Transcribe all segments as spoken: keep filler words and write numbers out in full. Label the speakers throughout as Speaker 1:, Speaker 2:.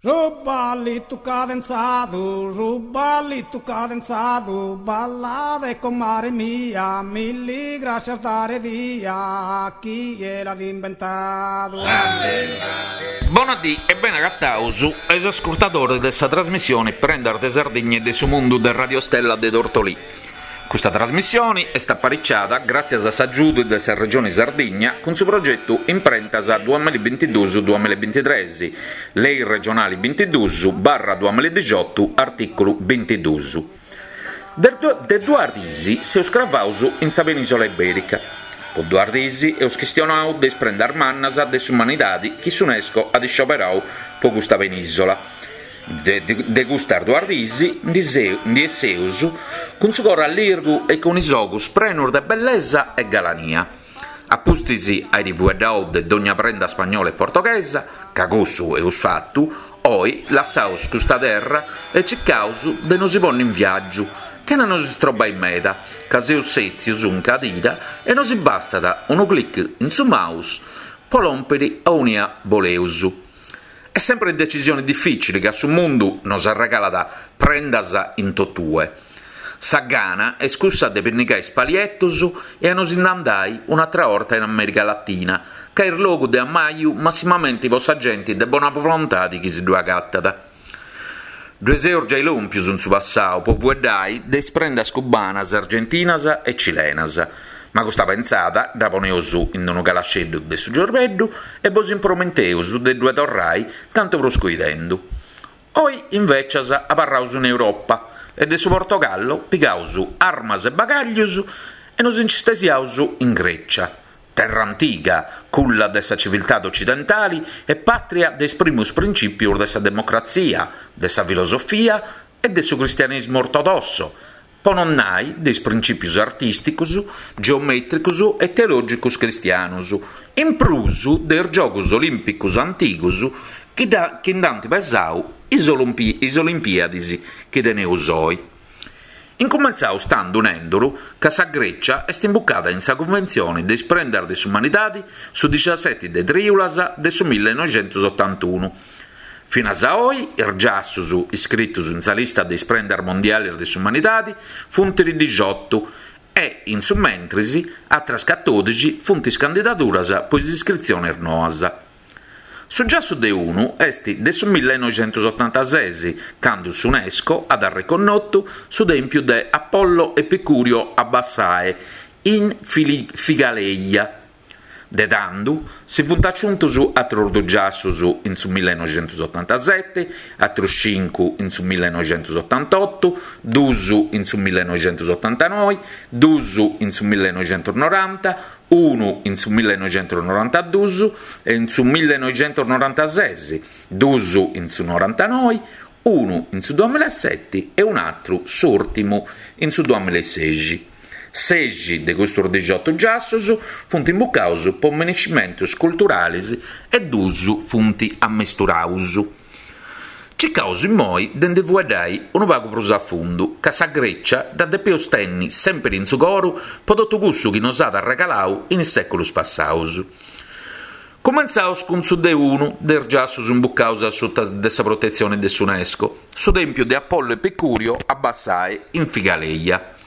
Speaker 1: Su ballitu cadenzadu, su ballitu cadenzadu, ballade comare mia, milli grascias dare dia, chie l'at imbentadu.
Speaker 2: Bona dì e bene agataus a is ascurtadores de sa trasmissione Prendas de Sardigna e de su Mundu de Radio Stella de Tortolì. Custa trasmissione est apariciada gràtzias a s'agiudu de sa Regione Sardigna cun su progetu Imprentas duamilla bintiduus duamilla bintitrès, Lei regionale bintiduus barra duamilla dixiotu, artìculu bintiduus. De, de duas dies seus cravados in sa penìsola ibèrica. Po duas dies eus chistionadu de is prendas mannas de s'umanidade chi s'UNESCO at iscioberadu pro custa penìsola. De, de, de custas duas dies ndi esseus cun su coro allirgu e cun is ogus prenos de bellesa e galania. A pustis airi fueddadu de dogna prenda spagnola e portoghesa, ca cussu eus fatu, oi lassaus custa terra e circaus de nos ponni in viàgiu, chena nos istrobai meda, ca seus sètzios in cadira e nos bastat unu clic in su mouse po lòmpere aunia boleus. È sempre decisione difficile ca su mundu nos arregalat prendas in totue. Sa gana est cussa de pinnicare is palietos e a nos andai un'atra 'orta in America Latina, ca est logu de ammaju massimamente po sa gente de bona volontade chi si ddu agatat. Ddoe seus giai lòmpios in su passadu po fueddai de is prendas cubanas, argentinas e cilenas. Ma custa pensada dda poneus in unu calasceddu de su ciorbeddu e bos impromenteus de ddoe torrai cantu prus coidendu. Oi, invecias, abarraus in Europa e de su Portogallo pigaus armas e bagaglios e nos nci stesiaus in Grecia, terra antiga, culla de sa civiltade occidentale e pàtria de is primos princìpios de sa democratzia, de sa filosofia e de su cristianesimo ortodosso, po non nai de is princìpios artìsticos, geomètricos e teològicos cristianos, in prus de is Giogos Olìmpicos antigos chi, da, chi nd'ant pesadu is, Olimpi, is Olimpiadis chi teneus oi. Incumentzaus tandu nenduru ca sa Grecia est imbucada in sa Conventzione de is Prendas de s'Umanidade su diciaseti de trìulas de su millinoixentosottantunu. Finas a oi, is giassos iscritos in sa lista de is prendas mondiales de s'umanidade funt diciotto e, in su mentris, atras catòdixi funt is candidaduras po is iscritziones noas. Su giassu de unu est de su millinoixentosottantasès, cando s'UNESCO at reconnotu su tèmpiu de Apollo Epicurio a Bassae, in Figaleia. De tandu si funt aciuntos atros duos giassos in su millinoixentosottantasete, atros cincu in su millinoixentosottantotto, duos in su millinoixentosottantanove, duos in su millinoixentonoranta, unu in su millinoixentonorantaduos e in su millinoixentonorantases, duos in su norantanove, unu in su duamilasete e un'atru, s'ùrtimu, in su duamilasexi. Sexi de custos diciotto giassos funt imbucados po minescimentos culturales e duos funt ammesturados. Circaus immoi de nde fueddai unu pagu prus a fundu, ca sa Grecia dda depeus tenni sempre in su coru po totu cussu chi nos at arregaladu in is sèculos passados. Cumentzaus cun su de unu de is giassos imbucados a suta de sa protetzione de s'UNESCO, su tèmpiu de Apollo Epicurio a Bassae in Figaleia.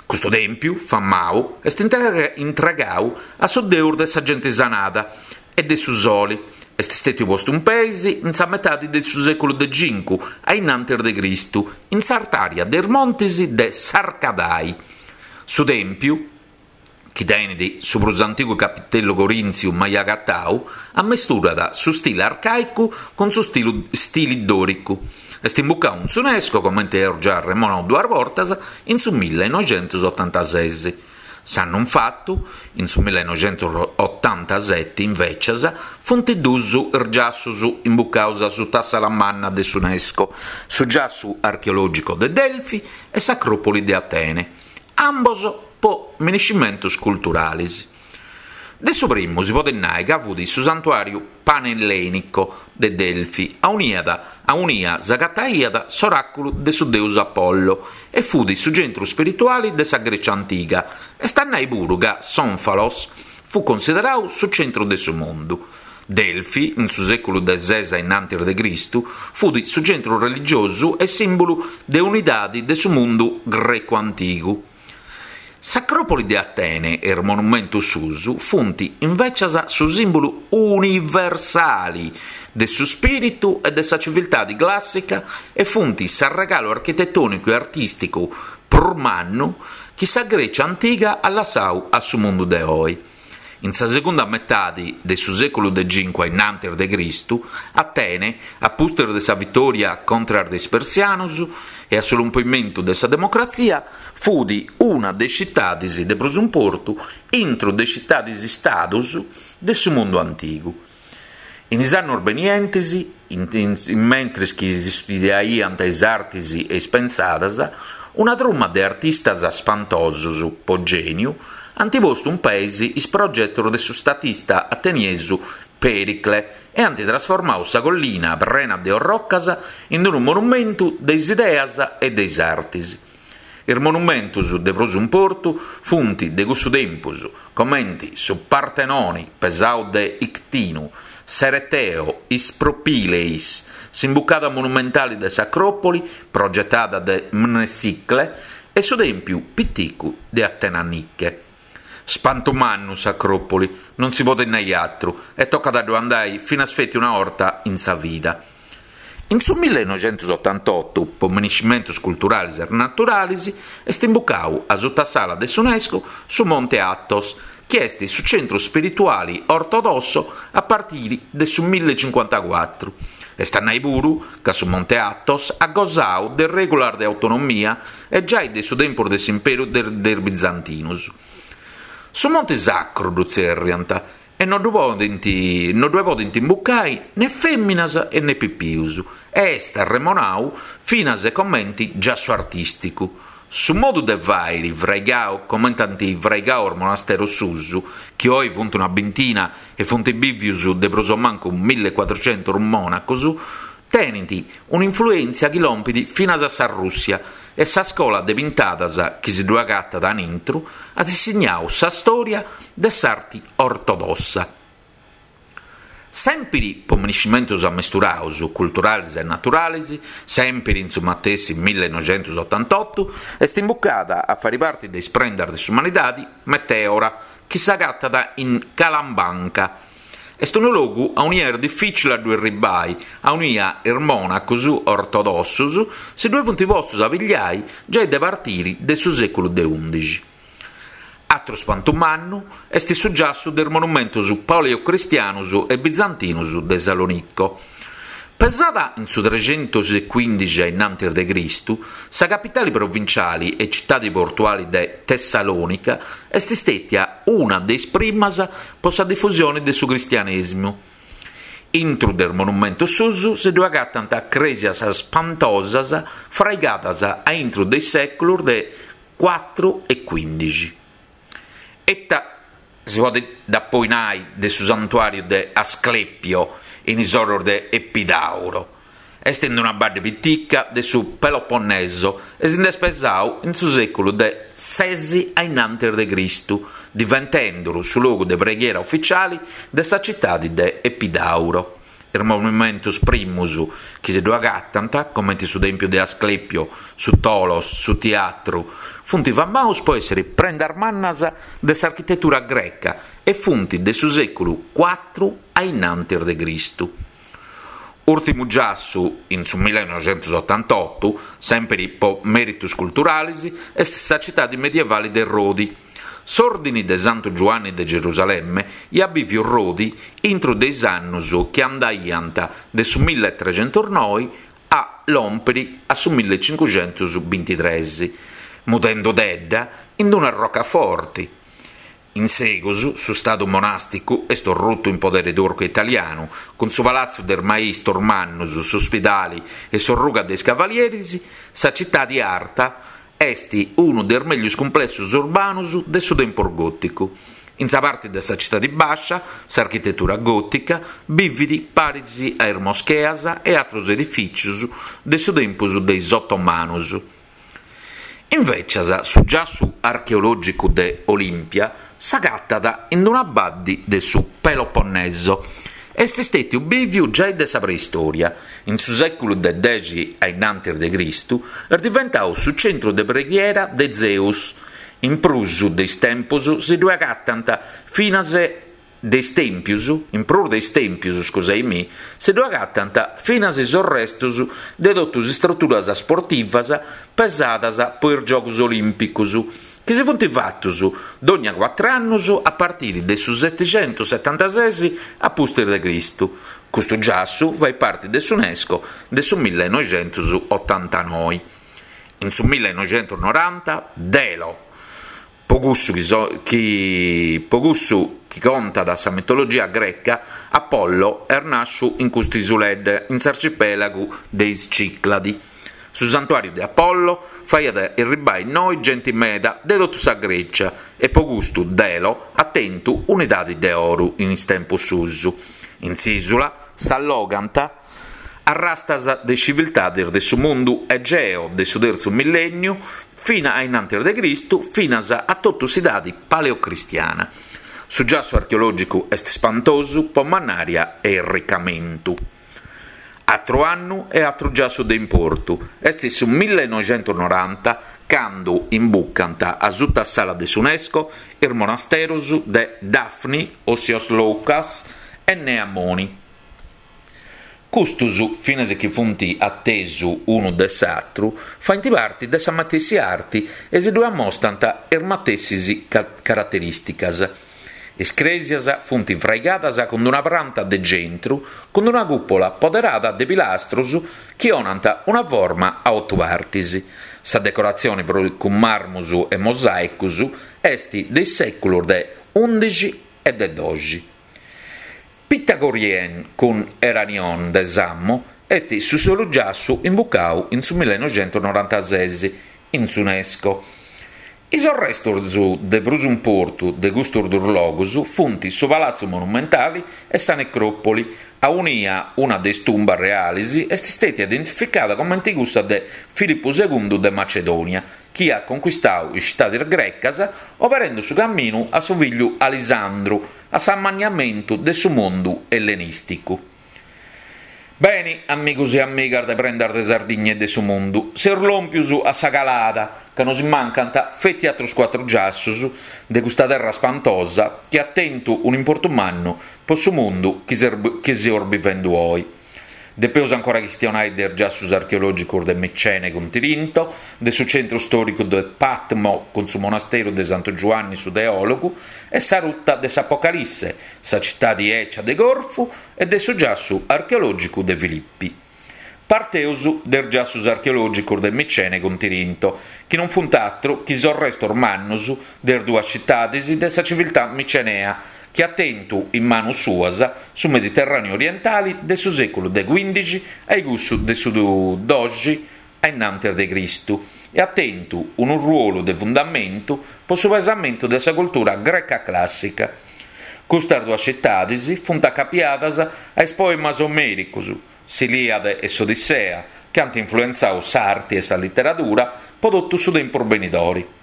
Speaker 2: Custu tèmpiu, famadu, est intregadu a su deus de sa gente sanada e de su sole. Est stètiu postu in peis in sa metade de su sèculu de cincu, a innantis de Cristu, in s'artària de is montes de Sarcadai. Su tèmpiu, chi tenet su prus antigu capitellu corìntziu mai agatadu, ammesturat su stile arcàicu cun su stilu, stili dòricu. Est imbucadu in s'UNESCO, comente eus già arremonadu duas bortas, in su millinoixentosottantasès. S'annu infatu, in su millinoixentosottantasete, invecias, funt duos is giassos imbucados a suta sala manna de s'UNESCO, su giassu archeològicu de Delfi e s'Acròpoli de Atene, ambos po minescimentos culturales. De su primu si podet nai ca fut su santuàriu panellenico de Delfi, auniat, aunia s'agataiat s'oràculu de su deus Apollo e fut su centru spirituale de sa Grecia antiga. Est a nai puru ca s'Onfalos fu consideradu su centru de su mundu. Delfi, in su sèculu de ses innantis de Cristu, fut su centru religiosu e sìmbulu de unidade de su mundu grecu antigu. S'Acròpoli de Atene e is monumentus suus funt invècias su sìmbulu universale de su spìritu e de sa civiltade clàssica e funt s'arregalu architetònicu e artìsticu prus mannu chi sa Grècia antiga at lassadu a su mundu de oe. In sa segunda metade de su sèculu de cinque innantis de Cristu, Atene, a pustis de sa vitòria contra de is persianos e a su rompimentu de sa democratzia, fut una de is citades de prus importu intro de citades istados de su mundu antigu. In is annos benientes, in, in, in mentres chi si studiaiant is artes e is pensadas, una truma de artistas spantosos po geniu ant postu in peis is progetos de su statista ateniesu Pericle e ant trasformadu sa collina prena de orrocas in unu monumentu de is ideas e de is artes. Is monumentos de prus importu funt de cussu tempus, comente su Partenone pesadu de Ictinu, s'Ereteo, is Propileis, s'imbucada monumentale de s'Acròpoli, progetada de Mnesicle, e su Tèmpiu Piticu de Atena Nike. Spantu mannu s'Acròpoli, non si podet nai atru, e tocat a ddu andai finas feti una 'orta in sa vida. In su millenoixentosotantotto, po miniscimentos culturales e naturales, est imbucadu a sutta de s'UNESCO su Monte Athos, chi est su centru spirituale ortodosso a partire de su millecinquantaquattro. Est a nai puru ca su Monte Athos at gosadu de regulas de autonomia e giai de su tempus de s'imperu de, de bizantinos. Su Monte Sacru ddu tzerriant e non ddu podent, non ddu podent imbucai né fèminas e né pipius e est arremonadu finas e comente giassu artìsticu. Su modu de fàere fraigadu comente ant fraigadu is monasteros suus, chi oe funt una bintina e funt bìvios de prus o mancu millequattrocentos monacos, tenent un'influèntzia chi lompit finas a sa Russia e sa scola de pintadas chi si ddu agatat a intro at insignadu sa storia de s'arte ortodossa. Sempre po miniscimentos ammesturados, culturales e naturales, sempre in su matessi millenoixentosottantotto, est imbucada a fare parte de is prendas de s'umanidade Meteora, chi s'agatat in Kalambanka. Est unu logu aunia est difficile a ddu arribai, aunia is monacos ortodossos si ddu funt postos a pigliai giai de partire de su seculu de undixi. Atru spantu mannu est su giassu de is monumentos paleocristianos e bizantinos de Salonicco. Pesada in su trecentoquindixi innantis de Cristu, sa capitale provinciale e cittade portuale de Tessalonica est istetia una de is primas po sa diffusione de su cristianesimu. Intro del monumento susu si ddu agatant cresias spantosas fraigadas a intro dei seculos de quattro e quindixi. Etta si podet da poi nai de su santuario de Asclepio in is oros de Epidauro. Est in una badde pitica de su Peloponneso e si nd'est pesadu in su seculu de sesi a innantis de Cristu, diventenduru su logu de preghiera ufficiale de sa cittade de Epidauro. Is monumentos primus chi si ddu agatant, comente su Tempio de Asclepio, su Tolos, su Teatru, funt famados po essere prendas mannas de s'architettura greca e funt de su seculu quattro a innantis de Cristu. Urtimu giassu, in su millenoixentosottantotto, sempre po meritos culturales, est sa cittade medievale de Rodi. S'ordine de Santo Giovanni de Gerusalemme iat biviu Rodi intro de is annos chi andaiant de su milletrecentonove a lompere a su millecinquecentobintitrés, mudendo tedda in una roccaforte. In segus, su stadu monasticu est ruttu in podere turco e italiano, con su palazzo del maestro Mannus, su ospedale e sorruga dei Cavalieris, sa città di Arta est uno dei meglios complessos urbanos de su tempo gotico. In sa parte de sa città di Bascia, s'architettura gotica bividi parisi a is moscheas e altri edificios de su tempus dei ottomanos. Invece, su giassu archeologico de Olimpia s'agatat in una baddi de su Peloponneso. Est stetiu biviu giai de sa preistoria. In su seculu de dexi a innantis de Cristu est diventau su centru de preghiera de Zeus. In prus de is tempos si ddue agatant finas de is tèmpios, in prus de is tèmpios, scusai-mi, si ddue agatant finas is arrestus de totus is struturas sportivas pesadas po is Giogus Olìmpicus, chi si funt fatus dònnia cuatru annus a partiri de su seticentusetantases a pustis de Cristu. Custu giassu fait parti de s'UNESCO de su millenoixentusotantanoe. In su millenoixentusnoranta Delo, po cussu chi, so, chi, po cussu chi contat sa mitologia greca, Apollo est nàsciu in custa isuledda, in s'arcipelagu de is Cicladi. Su santuàriu de Apollo faiat erribai innoi genti meda de totu sa Grecia e po custu Delo at tentu un'edadi de oru in is tempus suus. In s'ìsula s'allogant arrastas de civiltades de su mundu egeo de su tertzu millènniu fina a innantis de Cristu finas a totu s'idadi paleocristiana. Su giassu archeològicu est spantosu po mannària e irricamentu. Atru annu e atru giassu de importu. Est su millenoixentusnoranta candu imbucant a suta sala de s'UNESCO is monasteros de Dafni, Osios Loukas e Nea Moni. Custus, finas chi funt atesu unu de s'atru, faint parti de sa matessi arti e si ddue ammostant is matessis caraterìsticas. Is crèsias funt fraigadas cun una pranta de centru cun una cùpola poderada de pilastros chi onant una forma a otu partis. Sa decoratzione cun marmus e mosàicos est de is sèculos de ùndixi e de doxi. Pitagorien cun Eranion de Samo est su solu giassu imbucau in su millenoixentusnorantases in s'UNESCO. Is arrestos de prus importu de custos duos logos funt su Palazzo Monumentale e sa Necròpoli, aunia una de is tumbas reales est stata identificada comente cussa de Filippo segundu de Macedonia, chi at conquistadu is citades grecas oberende su camminu a su figliu Alisandru a s'ammanniamentu de su mundu ellenìsticu. Beni, amigos e amigas de Prendas de Sardigna e de su mundu, seus lòmpius a sa calada, ca nos mancant feti atrus cuatru giassus de custa terra spantosa chi at tentu un'importu mannu po su mundu chi, chi seus bivendu oi. Depeus ancora chistionai de is giassus archeològicos de Micene cun Tirinto, de su centru stòricu de Patmo cun su monasteru de Santu Giuanni su Teòlogu e sa ruta de s'Apocalisse, sa citadi ecia de Corfu e de su giassu archeològicu de Filippi. Parteus de is giassus archeològicos de Micene cun Tirinto, chi non funt atru chi is restos mannus de is duas citades de sa civiltà micenea, chi at tentu in manus suas su Mediterràneu orientale de su sèculu de quindixi a cussu de su doxi a innantis de Cristu e at tentu unu ruolu de fundamentu po su pesamentu de sa cultura greca clàssica. Custas duas citades funt acapiadas a is poemas omèricos, s'Iliade e s'Odissea, chi ant influentzadu s'arte e sa literadura po totu su tempus benidore.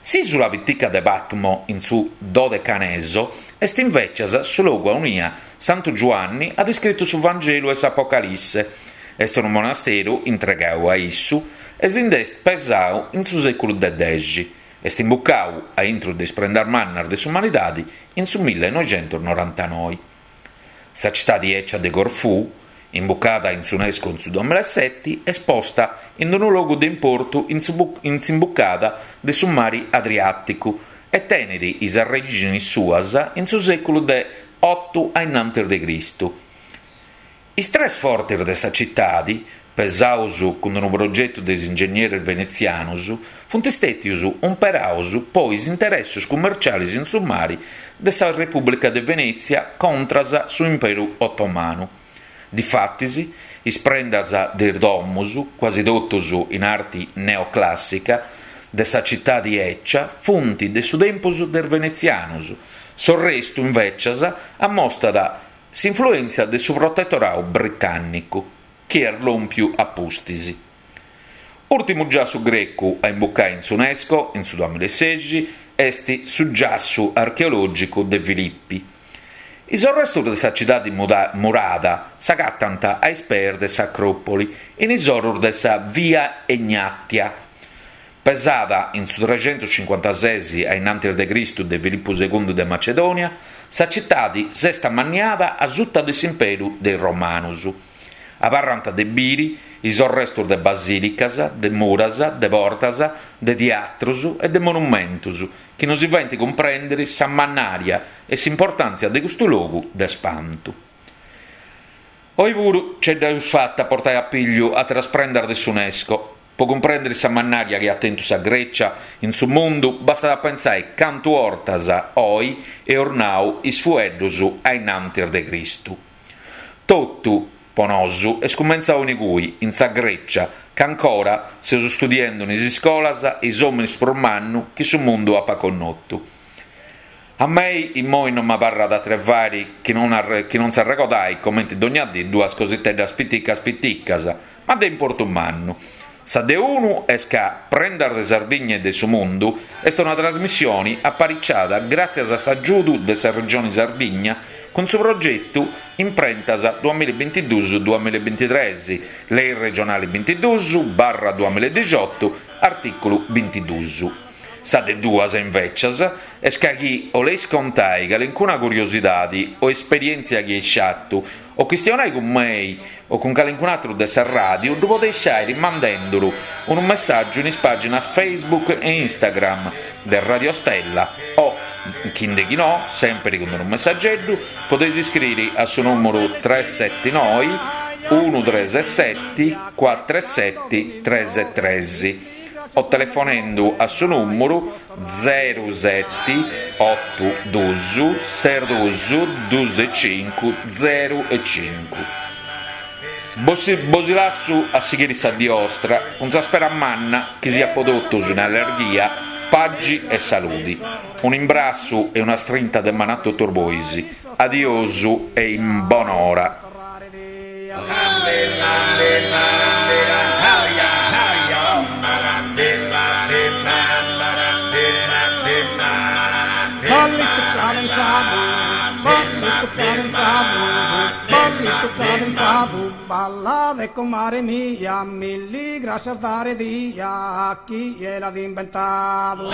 Speaker 2: S'ìsula pitica de Patmo, in su Dodecaneso, est invecias su logu aunia Santu Giuanni at iscritu su Vangelu e s'Apocalisse. Est unu monasteru intregadu a issu e si nd'est pesadu in su sèculu de dexi. Est imbucadu a intro de is prendas mannas de s'umanidade in su millenoixentusnorantanoe. Sa citadi ecia de Corfù, imbucada in s'UNESCO in su duamilaseti, est posta in unu logu de importu in s'imbucada de su mari Adriàticu e tenet is arrèxinis suas in su sèculu de otu a innantis de Cristu. Is tres fortes de sa citadi, pesados cun unu progetu de is ingegneris venetzianos, funt stètios umperados po is interessos cummerciales in su mari de sa Repùblica de Venètzia contras su Imperu Otomanu. Difatis, is prendas de is domus, quasi totus in arti neoclàssica, de sa citadi ecia, funt de su tempus de is venetzianos. S'orrestu, invecias, ammostat s'influèntzia de su protetoradu britànnicu, chi est lòmpiu a pustis. Ùrtimu giassu grecu a imbucare in s'UNESCO, in su duamilasei, est su giassu archeològicu de Filippi. Is arrestus de sa citadi murada s'agatant a is peis de s'Acròpoli, in is orus de sa Via Egnatia. Pesada in su trecentuscincuantases a innantis de Cristu de Filippu segundu de Macedònia, sa citadi s'est amanniada a suta de s'imperu de is Romanus. Abarrant de biri is arrestus de basìlicas, de muras, de portas, de teatrus e de monumentus chi nos faint cumprèndere sa mannària e s'importàntzia de custu logu de spantu. Oi puru ce dd'eus fata a portai a pigliu àteras prendas de s'UNESCO. Po cumprèndere sa mannària chi at tentu sa Grecia in su mundu bastat a pensare cantu ortas oi eus nau is fueddus a innantis de Cristu. Totu, po nosu, est cumentzau in cui, in sa Grecia, che ancora seus studiendo in is iscolas is òminis prus mannu chi su mundu apat connotu. A mei immoi non m'abarrat a trevari chi non, arre, chi non s'arregodai comenti dogna dì duas cositeddas piticas piticas, ma de importu mannu. Sa de unu est ca Prendas de Sardigna e de su Mundu est una trasmissione apariciada gràtzias a s'agiudu de sa Regione Sardigna cun su progetu Imprentas duamillabintiduus duamillabintitres, Lei regionale bintiduus barra duamiladixotu, artìculu bintiduus. Sa de duas, invecias, est ca chi 'oleis contai calincuna curiosidadi o esperièntzia chi eis fatu o chistionai cun mei o cun calincun atru de sa ràdiu, ddu podeis fàere mandenduru unu messàgiu in is pàginas Facebook e Instagram de Radio Stella o, chindechinò, sèmpiri cun unu messageddu, podeis iscriri a su nùmeru tres seti noi unu tres seti cuatru seti tres tres o telefonendu a su nùmeru zeru seti otu dus ses dus dus cincu zeru e cincu. Bos, bos lassu a sighire sa die 'ostra cun sa spera manna chi siat po totus in allegria, pagi e saludi. Un imbrassu e una strinta de manu a totus bois. Adiosu e in bonora.
Speaker 1: Ballito cadenzado, ballito cadenzado, ballito cadenzado, balla de comare mia, milli gracias dare dia a chi l'ha inventado.